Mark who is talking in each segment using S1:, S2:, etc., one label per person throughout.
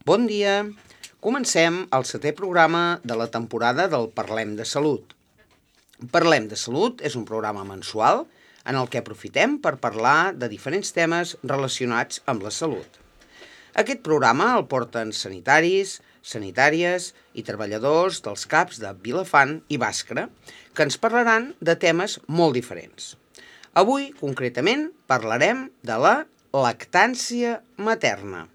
S1: Bon dia! Comencem el 7è programa de la temporada del Parlem de Salut. Parlem de Salut és un programa mensual en el que aprofitem per parlar de diferents temes relacionats amb la salut. Aquest programa el porten sanitaris, sanitàries i treballadors dels CAPs de Vilafant i Bàscara, que ens parlaran de temes molt diferents. Avui, concretament, parlarem de la lactància materna.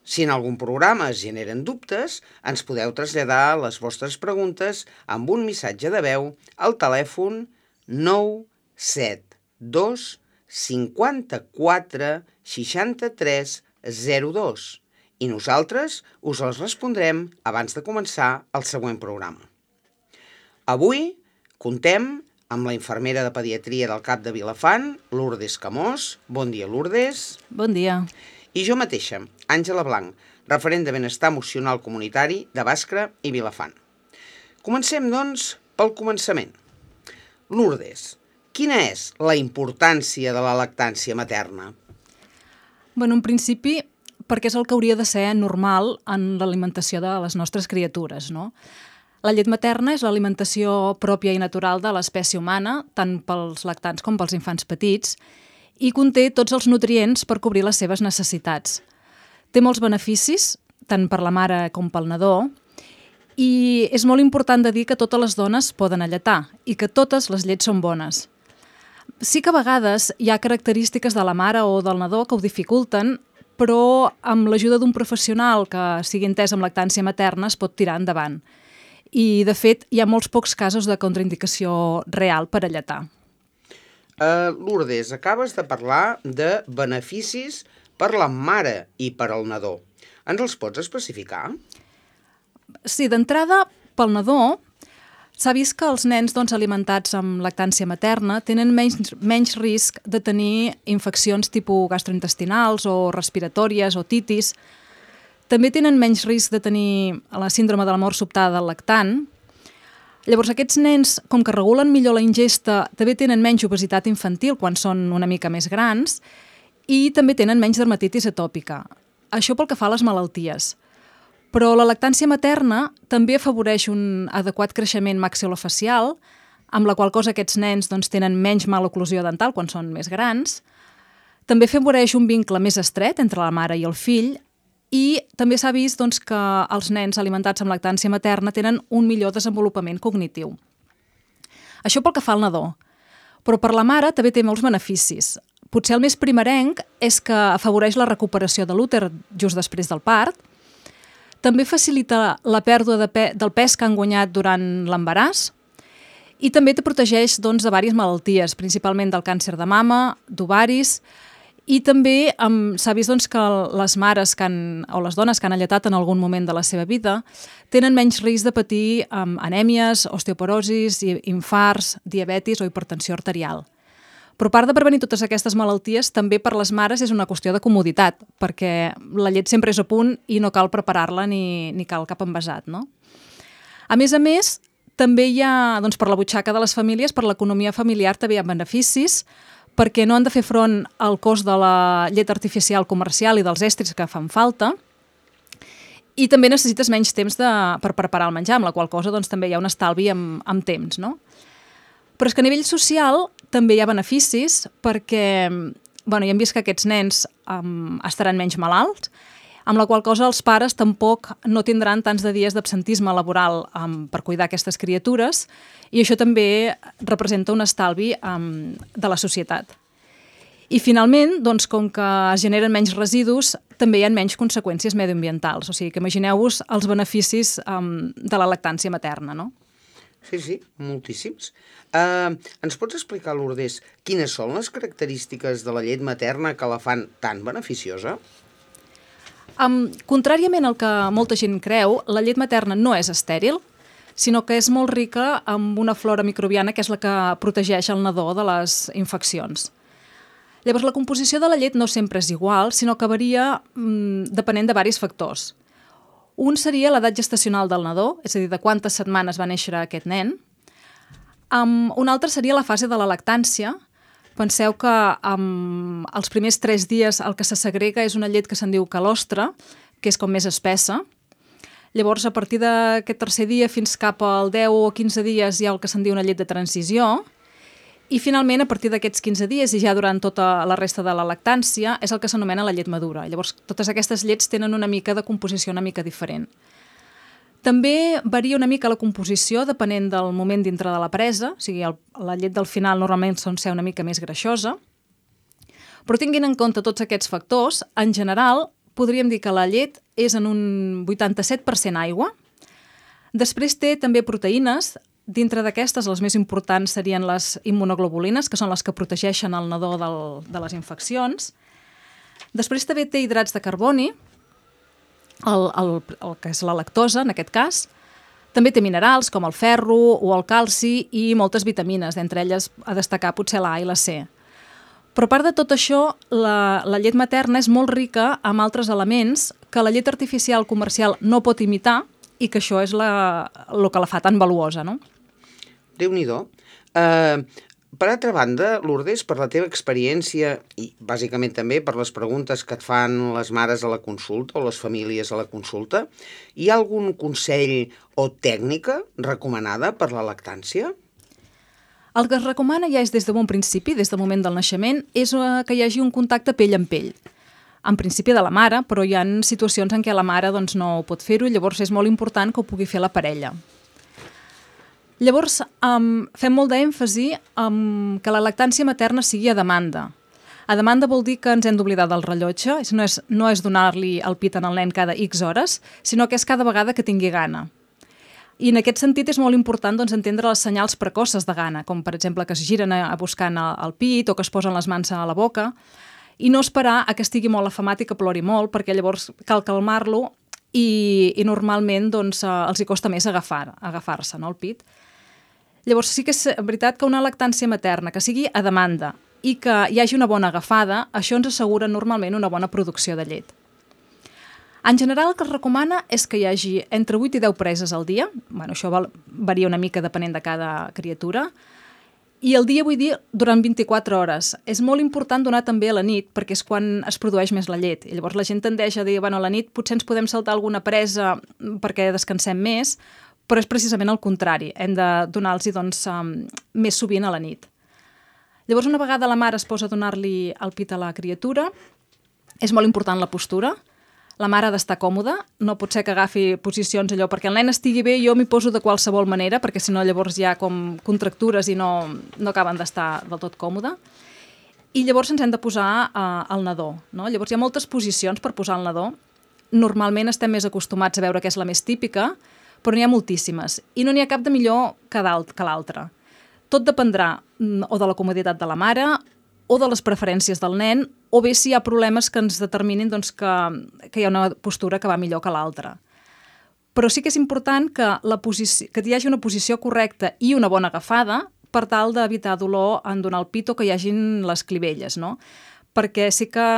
S1: Si en algun programa es generen dubtes, ens podeu traslladar les vostres preguntes amb un missatge de veu al telèfon 972 54 63 02 i nosaltres us els respondrem abans de començar el següent programa. Avui contem amb la infermera de pediatria del CAP de Vilafant, Lourdes Camós. Bon dia, Lourdes.
S2: Bon dia.
S1: I jo mateixa, Àngela Blanc, referent de benestar emocional comunitari de Bàscara i Vilafant. Comencem, doncs, pel començament. Lourdes, quina és la importància de la lactància materna?
S2: En principi, perquè és el que hauria de ser normal en l'alimentació de les nostres criatures, no? La llet materna és l'alimentació pròpia i natural de l'espècie humana, tant pels lactants com pels infants petits, i conté tots els nutrients per cobrir les seves necessitats. Té molts beneficis, tant per la mare com pel nadó, i és molt important de dir que totes les dones poden alletar i que totes les llets són bones. Sí que a vegades hi ha característiques de la mare o del nadó que ho dificulten, però amb l'ajuda d'un professional que sigui entès amb lactància materna es pot tirar endavant. I, de fet, hi ha molts pocs casos de contraindicació real per alletar.
S1: Lourdes, acabes de parlar de beneficis per la mare i per al nadó. Ens els pots especificar?
S2: Sí, d'entrada, pel nadó, s'ha vist que els nens alimentats amb lactància materna tenen menys risc de tenir infeccions tipus gastrointestinals o respiratòries o titis. També tenen menys risc de tenir la síndrome de la mort sobtada del lactant. Llavors, aquests nens, com que regulen millor la ingesta, també tenen menys obesitat infantil quan són una mica més grans i també tenen menys dermatitis atòpica. Això pel que fa a les malalties. Però la lactància materna també afavoreix un adequat creixement maxilofacial, amb la qual cosa aquests nens tenen menys maloclusió dental quan són més grans. També afavoreix un vincle més estret entre la mare i el fill i també s'ha vist que els nens alimentats amb lactància materna tenen un millor desenvolupament cognitiu. Això pel que fa al nadó. Però per la mare també té molts beneficis. Potser el més primerenc és que afavoreix la recuperació de l'úter just després del part. També facilita la pèrdua del pes que han guanyat durant l'embaràs i també te protegeix de diverses malalties, principalment del càncer de mama, d'ovaris. I també s'ha vist que les mares o les dones que han alletat en algun moment de la seva vida tenen menys risc de patir anèmies, osteoporosis, infarts, diabetis o hipertensió arterial. Però a part de prevenir totes aquestes malalties, també per les mares és una qüestió de comoditat, perquè la llet sempre és a punt i no cal preparar-la ni cal cap envasat, no? A més, també hi ha, per la butxaca de les famílies, per l'economia familiar també hi ha beneficis, perquè no han de fer front al cost de la llet artificial comercial i dels estris que fan falta, i també necessites menys temps per preparar el menjar, amb la qual cosa també hi ha un estalvi amb temps, no? Però és que a nivell social també hi ha beneficis, perquè ja hem vist que aquests nens estaran menys malalts, amb la qual cosa els pares tampoc no tindran tants de dies d'absentisme laboral per cuidar aquestes criatures, i això també representa un estalvi de la societat. I finalment, com que es generen menys residus, també hi ha menys conseqüències mediambientals. O sigui que imagineu-vos els beneficis de la lactància materna, no?
S1: Sí, moltíssims. Ens pots explicar, Lourdes, quines són les característiques de la llet materna que la fan tan beneficiosa?
S2: Contràriament al que molta gent creu, la llet materna no és estèril, sinó que és molt rica amb una flora microbiana que és la que protegeix el nadó de les infeccions. Llavors, la composició de la llet no sempre és igual, sinó que varia depenent de diversos factors. Un seria l'edat gestacional del nadó, és a dir, de quantes setmanes va néixer aquest nen. Un altre seria la fase de la lactància. Penseu que els primers 3 dies el que se segrega és una llet que se'n diu calostre, que és com més espessa. Llavors, a partir d'aquest tercer dia fins cap al 10 o 15 dies hi ha el que se'n diu una llet de transició, i finalment, a partir d'aquests 15 dies i ja durant tota la resta de la lactància, és el que s'anomena la llet madura. Llavors, totes aquestes llets tenen una mica de composició una mica diferent. També varia una mica la composició depenent del moment dintre de la presa, o sigui, la llet del final normalment sol ser una mica més greixosa, però tinguin en compte tots aquests factors, en general podríem dir que la llet és en un 87% aigua. Després té també proteïnes. Dintre d'aquestes, les més importants serien les immunoglobulines, que són les que protegeixen el nadó de les infeccions. Després també té hidrats de carboni, el que és la lactosa, en aquest cas. També té minerals, com el ferro o el calci, i moltes vitamines, d'entre elles a destacar potser la A i la C. Però a part de tot això, la llet materna és molt rica amb altres elements que la llet artificial comercial no pot imitar i que això és el que la fa tan valuosa, no?
S1: Déu-n'hi-do. Per altra banda, Lourdes, per la teva experiència i bàsicament també per les preguntes que et fan les mares a la consulta o les famílies a la consulta, hi ha algun consell o tècnica recomanada per la lactància?
S2: El que es recomana ja és des de bon principi, des del moment del naixement, és que hi hagi un contacte pell amb pell. En principi de la mare, però hi ha situacions en què la mare doncs, no pot fer-ho, llavors és molt important que ho pugui fer la parella. Llavors, fem molt d'èmfasi que la lactància materna sigui a demanda. A demanda vol dir que ens hem d'oblidar del rellotge, no és donar-li el pit al nen cada X hores, sinó que és cada vegada que tingui gana. I en aquest sentit és molt important doncs, entendre les senyals precoces de gana, com per exemple que es giren a buscant el pit o que es posen les mans a la boca, i no esperar a que estigui molt afamat i que plori molt, perquè llavors cal calmar-lo i normalment doncs, els hi costa més agafar-se, no, el pit. Llavors sí que és veritat que una lactància materna que sigui a demanda i que hi hagi una bona agafada, això ens assegura normalment una bona producció de llet. En general el que es recomana és que hi hagi entre 8 i 10 preses al dia, això varia una mica depenent de cada criatura, i el dia vull dir durant 24 hores. És molt important donar també a la nit, perquè és quan es produeix més la llet. I llavors la gent tendeix a dir, a la nit potser ens podem saltar alguna presa perquè descansem més, però és precisament el contrari, hem de donar-los més sovint a la nit. Llavors, una vegada la mare es posa a donar-li el pit a la criatura, és molt important la postura. La mare ha d'estar còmoda, no pot ser que agafi posicions allò, perquè el nen estigui bé, jo m'hi poso de qualsevol manera, perquè si no llavors hi ha com contractures i no acaben d'estar del tot còmode. I llavors ens hem de posar al nadó, no? Llavors hi ha moltes posicions per posar al nadó. Normalment estem més acostumats a veure què és la més típica, però n'hi ha moltíssimes, i no n'hi ha cap de millor que l'altra. Tot dependrà o de la comoditat de la mare, o de les preferències del nen, o bé si hi ha problemes que ens determinin doncs, que hi ha una postura que va millor que l'altra. Però sí que és important que hi hagi una posició correcta i una bona agafada per tal d'evitar dolor en donar el pit o que hi hagin les clivelles, no? Perquè sí que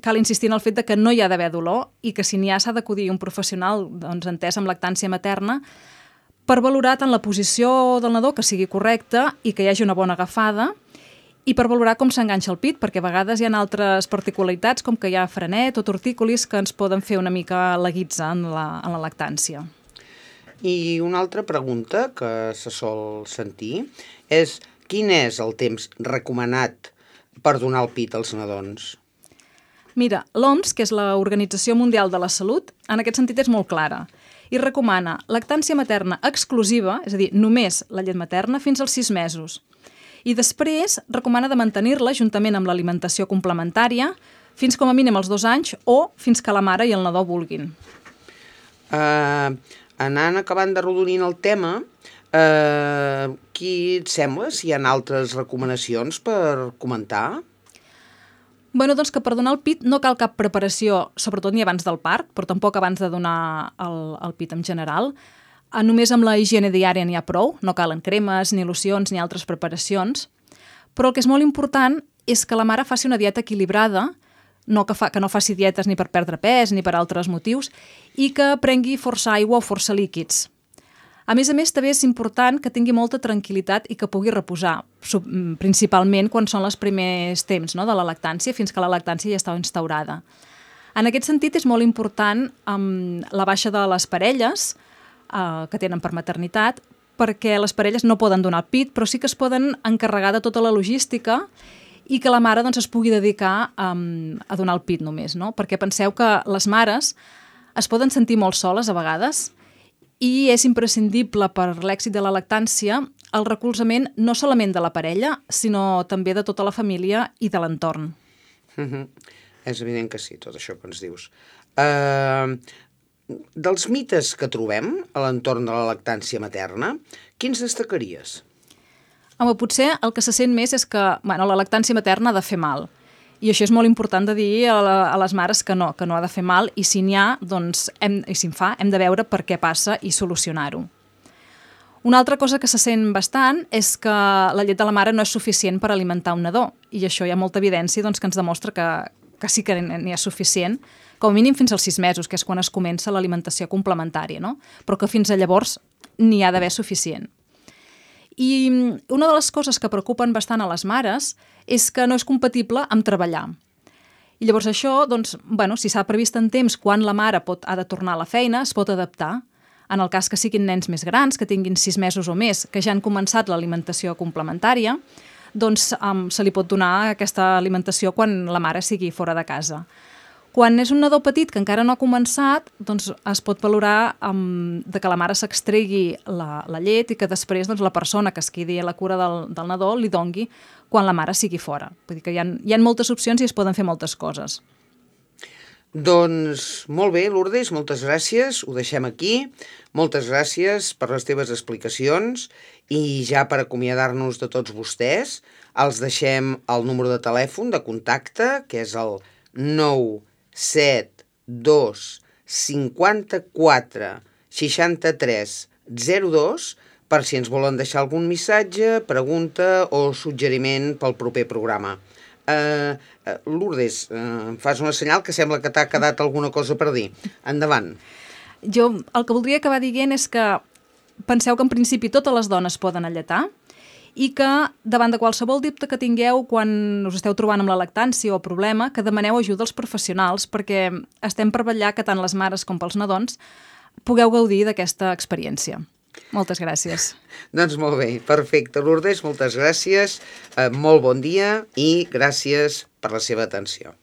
S2: cal insistir en el fet que no hi ha d'haver dolor i que si n'hi ha s'ha d'acudir un professional doncs, entès amb lactància materna per valorar tant la posició del nadó que sigui correcta i que hi hagi una bona agafada i per valorar com s'enganxa el pit, perquè a vegades hi ha altres particularitats com que hi ha frenet o tortícolis que ens poden fer una mica la guitza en la lactància.
S1: I una altra pregunta que se sol sentir és quin és el temps recomanat per donar el pit als nadons?
S2: Mira, l'OMS, que és l'Organització Mundial de la Salut, en aquest sentit és molt clara i recomana lactància materna exclusiva, és a dir, només la llet materna, fins als 6 mesos. I després recomana de mantenir-la juntament amb l'alimentació complementària fins com a mínim als 2 anys o fins que la mare i el nadó vulguin.
S1: Anant acabant d'arrodonint el tema, qui et sembla si hi ha altres recomanacions per comentar?
S2: Doncs que per donar el pit no cal cap preparació, sobretot ni abans del part, però tampoc abans de donar el pit en general. Només amb la higiene diària n'hi ha prou, no calen cremes, ni locions, ni altres preparacions. Però el que és molt important és que la mare faci una dieta equilibrada, que no faci dietes ni per perdre pes ni per altres motius, i que prengui força aigua o força líquids. A més, també és important que tingui molta tranquil·litat i que pugui reposar, principalment quan són els primers temps, no, de la lactància, fins que la lactància ja està instaurada. En aquest sentit, és molt important la baixa de les parelles que tenen per maternitat, perquè les parelles no poden donar el pit, però sí que es poden encarregar de tota la logística i que la mare doncs, es pugui dedicar a donar el pit només, no? Perquè penseu que les mares es poden sentir molt soles a vegades i és imprescindible per l'èxit de la lactància el recolzament no solament de la parella, sinó també de tota la família i de l'entorn.
S1: És evident que sí, tot això que ens dius. Dels mites que trobem a l'entorn de la lactància materna, quins destacaries?
S2: Home, potser el que se sent més és que la lactància materna ha de fer mal. I això és molt important de dir a les mares que no ha de fer mal, i si n'hi ha, doncs, i si en fa, hem de veure per què passa i solucionar-ho. Una altra cosa que se sent bastant és que la llet de la mare no és suficient per alimentar un nadó, i això hi ha molta evidència doncs, que ens demostra que sí que n'hi ha suficient, com a mínim fins als 6 mesos, que és quan es comença l'alimentació complementària, no? Però que fins a llavors n'hi ha d'haver suficient. I una de les coses que preocupen bastant a les mares és que no és compatible amb treballar. I llavors això, doncs, si s'ha previst en temps quan la mare ha de tornar a la feina, es pot adaptar. En el cas que siguin nens més grans, que tinguin 6 mesos o més, que ja han començat l'alimentació complementària, doncs se li pot donar aquesta alimentació quan la mare sigui fora de casa. Quan és un nadó petit que encara no ha començat, doncs es pot valorar de que la mare s'extregui la llet i que després doncs, la persona que es quedi a la cura del nadó li dongui quan la mare sigui fora. Vull dir que hi ha moltes opcions i es poden fer moltes coses.
S1: Doncs molt bé, Lourdes, moltes gràcies, ho deixem aquí. Moltes gràcies per les teves explicacions i ja per acomiadar-nos de tots vostès els deixem el número de telèfon de contacte, que és el 972 54 63 02 per si ens volen deixar algun missatge, pregunta o suggeriment pel proper programa. Lourdes, em fas una senyal que sembla que t'ha quedat alguna cosa per dir. Endavant.
S2: Jo el que voldria acabar dient és que penseu que en principi totes les dones poden alletar i que davant de qualsevol dubte que tingueu quan us esteu trobant amb la lactància o problema, que demaneu ajuda als professionals perquè estem per vetllar que tant les mares com pels nadons pugueu gaudir d'aquesta experiència. Moltes gràcies.
S1: Doncs molt bé, perfecte. Lourdes, moltes gràcies, molt bon dia i gràcies per la seva atenció.